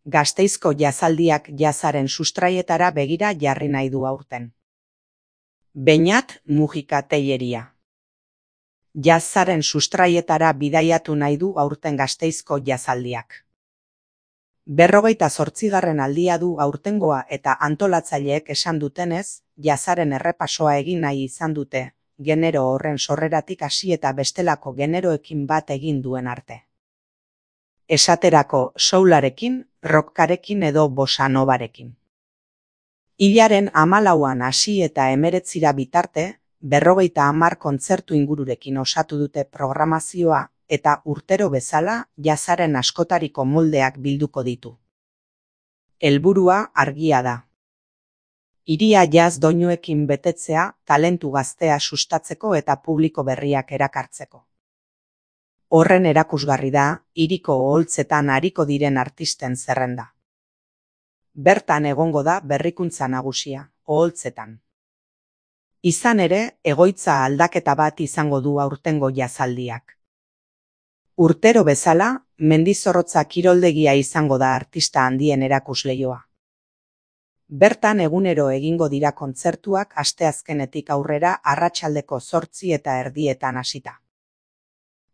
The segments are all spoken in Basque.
Gasteizko jazaldiak jazaren sustraietara begira jarri nahi du aurten. Beñat Mujika Telleria. Jazaren sustraietara bidaiatu nahi du aurten Gasteizko jazaldiak. 48. aldia du aurtengoa eta antolatzaileek esan dutenez, jazaren errepasoa egin nahi izan dute, genero horren sorreratik hasi eta bestelako generoekin bat egin duen arte. Esaterako soularekin, rockarekin edo bossa novarekin. Hilaren 14an hasi eta 19 bitarte, 50 kontzertu ingururekin osatu dute programazioa eta urtero bezala jazaren askotariko moldeak bilduko ditu. Helburua argia da. Hiria jaz doinuekin betetzea, talentu gaztea sustatzeko eta publiko berriak erakartzeko. Horren erakusgarri da, hiriko oholtzetan ariko diren artisten zerrenda. Bertan egongo da berrikuntza nagusia, oholtzetan. Izan ere, egoitza aldaketa bat izango du aurtengo jazaldiak. Urtero bezala, Mendizorrotza kiroldegia izango da artista handien erakusleioa. Bertan egunero egingo dira kontzertuak asteazkenetik aurrera arratsaldeko 8:30 hasita.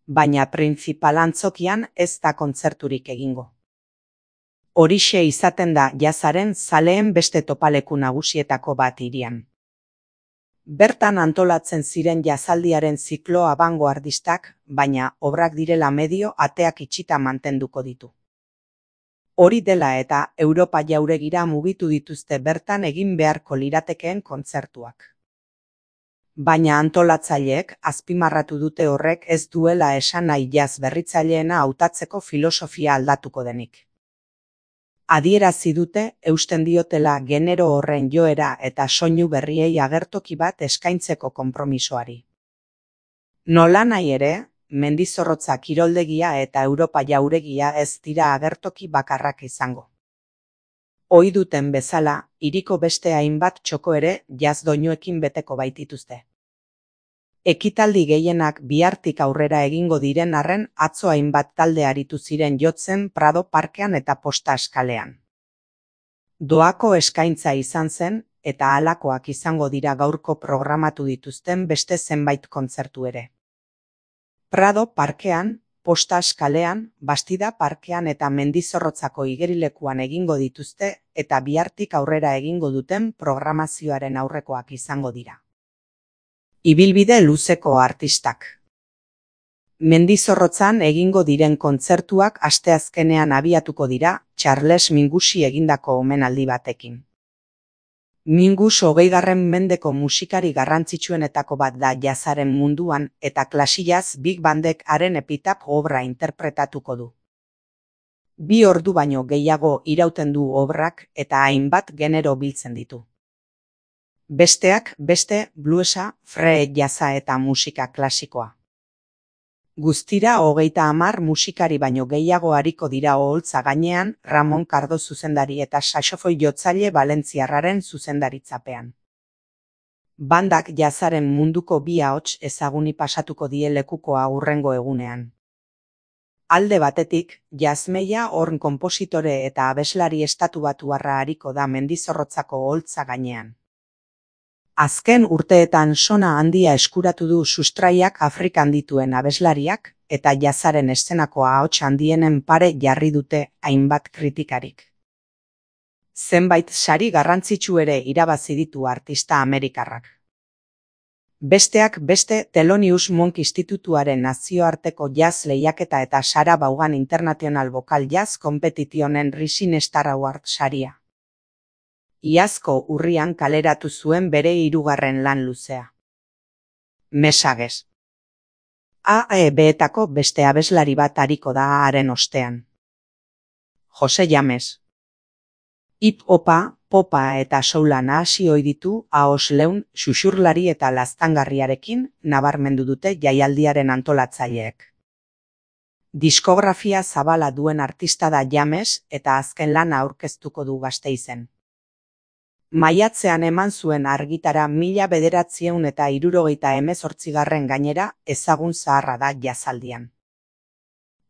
Baina printzipal antzokian ez da kontzerturik egingo. Horixe izaten da jazaren zaleen beste topaleku nagusietako bat hirian. Bertan antolatzen ziren jazaldiaren ziklo abangoardistak, baina obrak direla medio ateak itxita mantenduko ditu. Hori dela eta Europa jauregira mugitu dituzte bertan egin beharko liratekeen kontzertuak. Baina antolatzaileek azpimarratu dute horrek ez duela esan nahi jaz berritzaileena hautatzeko filosofia aldatuko denik. Adierazi dute eusten diotela genero horren joera eta soinu berriei agertoki bat eskaintzeko konpromisoari. Nolanahi ere, Mendizorrotza kiroldegia eta Europa jauregia ez dira agertoki bakarrak izango. Ohi duten bezala, hiriko beste hainbat txoko ere jaz doinuekin beteko baitituzte. Ekitaldi gehienak bihartik aurrera egingo diren arren atzo hainbat talde aritu ziren jotzen Prado parkean eta Posta Eskalean. Doako eskaintza izan zen eta halakoak izango dira gaurko programatu dituzten beste zenbait kontzertu ere. Prado parkean, Posta Eskalean, Bastida parkean eta Mendizorrotzako igerilekuan egingo dituzte eta bihartik aurrera egingo duten programazioaren aurrekoak izango dira. Ibilbide luzeko artistak. Mendizorrotzan egingo diren kontzertuak asteazkenean abiatuko dira Charles Mingusi egindako omenaldi batekin. Mingus 20. mendeko musikari garrantzitsuenetako bat da jazaren munduan eta klasijaz big bandek haren epitap obra interpretatuko du. 2 ordu baino gehiago irauten du obrak eta hainbat genero biltzen ditu. Besteak beste bluesa, free jazza eta musika klasikoa. Guztira 30 musikari baino gehiago ariko dira oholtza gainean Ramon Kardo zuzendari eta saxofoi jotzaile valentziarraren zuzendaritzapean. Bandak jazaren munduko 2 ahots ezaguni pasatuko die lekukoa hurrengo egunean. Alde batetik, Jazmeia Horn konpositore eta abeslari estatubatuarra ariko da Mendizorrotzako oholtza gainean. Azken urteetan sona handia eskuratu du sustraiak Afrikan dituen abeslariak eta jazaren eszenako ahots handienen pare jarri dute hainbat kritikarik. Zenbait sari garrantzitsu ere irabazi ditu artista amerikarrak. Besteak beste Thelonious Monk Institutuaren nazioarteko jazz lehiaketa eta Sarah Vaughan International Vocal Jazz Competitionen Rising Star Award saria. Iazko urrian kaleratu zuen bere 3. lan luzea. Messages. AEB-etako beste abeslari bat ariko da haren ostean. Jose James. Hip-hopa, popa eta soula nahasi ohi ditu ahoz leun, xuxurlari eta laztangarriarekin nabarmendu dute jaialdiaren antolatzaileek. Diskografia zabala duen artista da James eta azken lana aurkeztuko du Gasteizen. Maiatzean eman zuen argitara 1978 gainera ezagun zaharra da jazaldian.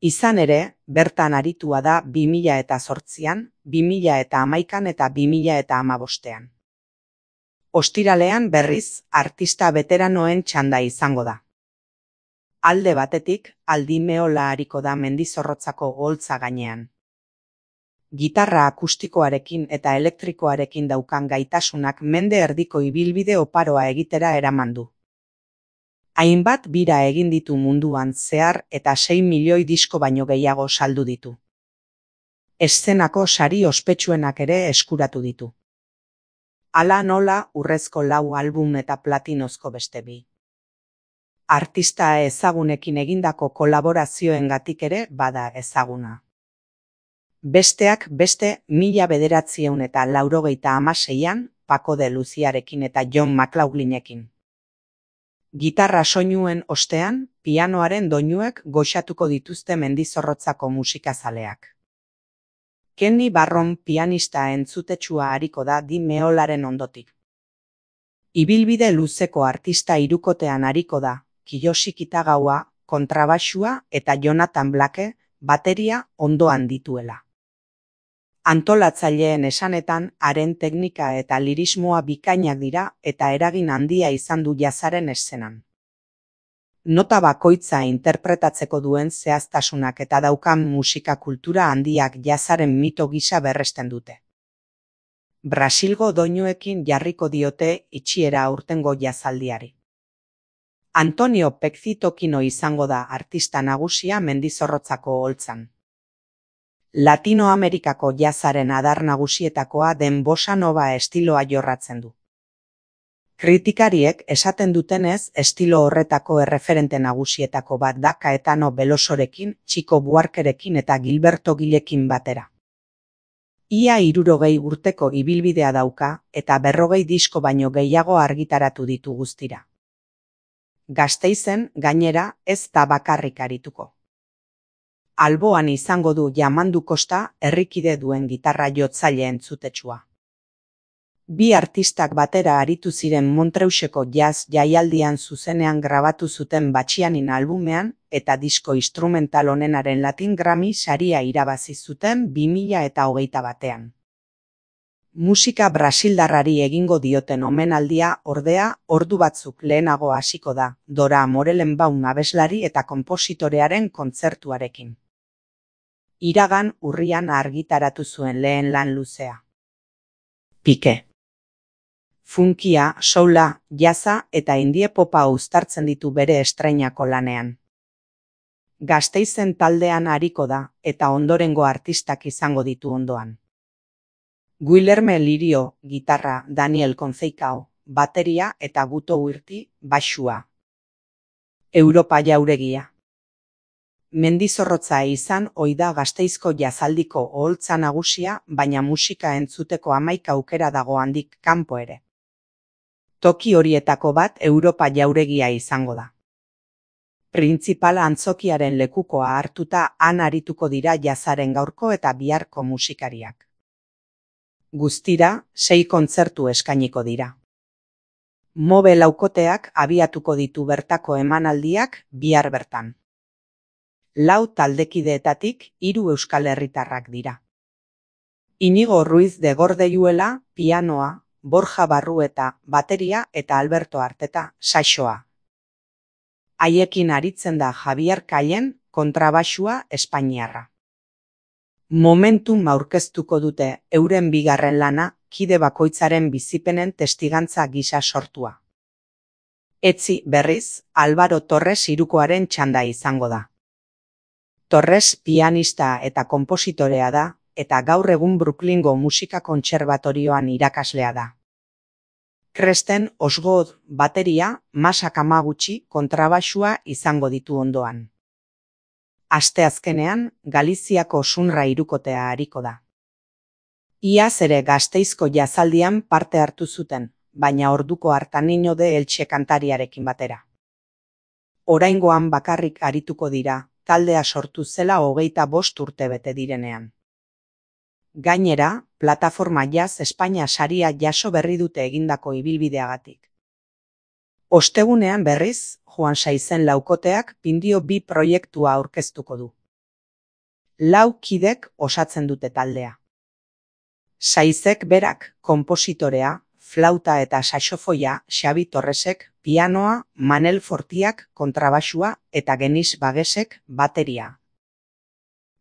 Izan ere, bertan aritua da 2008an, 2011an eta 2015an. Ostiralean berriz, artista beteranoen txanda izango da. Alde batetik, Aldi Meola ariko da Mendizorrotzako oholtza gainean. Gitarra akustikoarekin eta elektrikoarekin daukan gaitasunak mende erdiko ibilbide oparoa egitera eraman du. Hainbat bira egin ditu munduan zehar eta 6 milioi disko baino gehiago saldu ditu. Eszenako sari ospetsuenak ere eskuratu ditu. Hala nola urrezko 4 album eta platinozko beste 2. Artista ezagunekin egindako kolaborazioengatik ere bada ezaguna. Besteak beste 1996an Paco de Luciarekin eta John McLaughlinekin. Gitarra soinuen ostean, pianoaren doinuek goxatuko dituzte Mendizorrotzako musikazaleak. Kenny Barron pianista entzutetsua ariko da Di Meolaren ondotik. Ibilbide luzeko artista hirukotean ariko da Kiyoshi Kitagawa, kontrabaxua eta Jonathan Blake, bateria ondoan dituela. Antolatzaileen esanetan, haren teknika eta lirismoa bikainak dira eta eragin handia izan du jazzaren eszenan. Nota bakoitza interpretatzeko duen zehaztasunak eta daukan musika kultura handiak jazzaren mito gisa berresten dute. Brasilgo doinuekin jarriko diote itxiera aurtengo jazzaldiari. Antonio Pezzitokino izango da artista nagusia Mendizorrotzako oholtzan. Latinoamerikako jazzaren adar nagusietakoa den bossa nova estiloa jorratzen du. Kritikariek esaten dutenez, estilo horretako erreferente nagusietako bat da Caetano Velosorekin, Chico Buarquerekin eta Gilberto Gilekin batera. Ia 60 urteko ibilbidea dauka eta 40 disko baino gehiago argitaratu ditu guztira. Gasteizen, gainera, ez da bakarrik arituko. Alboan izango du Yamandu Costa, herrikide duen gitarra jotzaile entzutetsua. 2 artistak batera aritu ziren Montreuseko jazz jaialdian zuzenean grabatu zuten Batxianin albumean eta disko instrumental onenaren Latin Grammy saria irabazi zuten 2021an. Musika brasildarrari egingo dioten omenaldia ordea ordu batzuk lehenago hasiko da, Dora Morelenbaum abeslari eta konpositorearen kontzertuarekin. Iragan urrian argitaratu zuen lehen lan luzea. Pike. Funkia, soula, jazza eta indie popa uztartzen ditu bere estreinako lanean. Gasteizen taldean ariko da eta ondorengo artistak izango ditu ondoan. Guillerme Lirio, gitarra, Daniel Conceicao, bateria eta Guto Urti, baxua. Europa Jauregia. Mendizorrotza izan ohi da Gasteizko jazaldiko oholtza nagusia, baina musika entzuteko 11 aukera dago handik kanpo ere. Toki horietako bat Europa Jauregia izango da. Printzipala antzokiaren lekukoa hartuta han arituko dira jazzaren gaurko eta biharko musikariak. Guztira, 6 kontzertu eskainiko dira. Mobe laukoteak abiatuko ditu bertako emanaldiak bihar bertan. 4 taldekideetatik 3 euskal herritarrak dira. Inigo Ruiz de Gordeyuela, pianoa, Borja Barrueta, bateria eta Alberto Arteta, saxoa. Haiekin aritzen da Javier Callen, kontrabaxua espainiarra. Momentum aurkeztuko dute euren bigarren lana, kide bakoitzaren bizipenen testigantza gisa sortua. Etzi berriz, Álvaro Torres hirukoaren txanda izango da. Torres pianista eta konpositorea da, eta gaur egun Brooklyngo musika kontserbatorioan irakaslea da. Kresten Osgood bateria, Masa Kamaguchi kontrabaxua izango ditu ondoan. Asteazkenean, Galiziako Sunra hirukotea ariko da. Iaz ere Gasteizko jazaldian parte hartu zuten, baina orduko hartan inode Eltxe kantariarekin batera. Oraingoan bakarrik arituko dira, taldea sortu zela 25 urte bete direnean. Gainera, Plataforma Jazz Espainia saria jaso berri dute egindako ibilbideagatik. Ostegunean berriz, Juan Saizen laukoteak Pindio 2 proiektua aurkeztuko du. 4 kidek osatzen dute taldea. Saizek berak konpositorea, flauta eta saxofoia, Xabi Torresek pianoa, Manel Fortiak kontrabaxua eta Genis Bagesek bateria.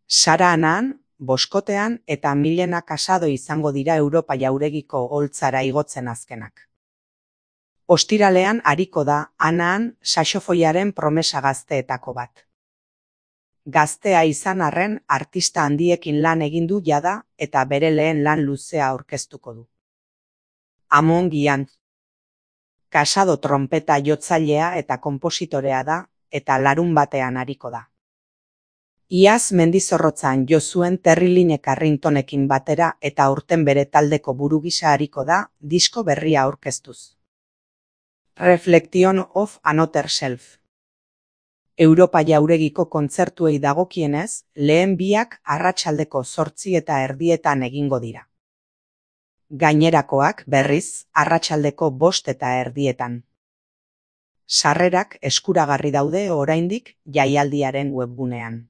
Sara Anaan, boskotean eta Milena Casado izango dira Europa Jauregiko holtzara igotzen azkenak. Ostiralean ariko da Anaan saxofoiaren promesa gazteetako bat. Gaztea izan arren artista handiekin lan egin du jada eta bere lehen lan luzea aurkeztuko du. Amon Gian. Casado trompeta jotzailea eta konpositorea da eta larunbatean ariko da. Iaz Mendizorrotzan jo zuen Terriline Carringtonekin batera eta aurten bere taldeko buru gisa ariko da disko berria aurkeztuz. Reflection of Another Self. Europa Jauregiko kontzertuei dagokienez, lehen biak arratsaldeko 8:30 egingo dira. Gainerakoak, berriz, arratsaldeko 5:30. Sarrerak eskuragarri daude oraindik jaialdiaren webgunean.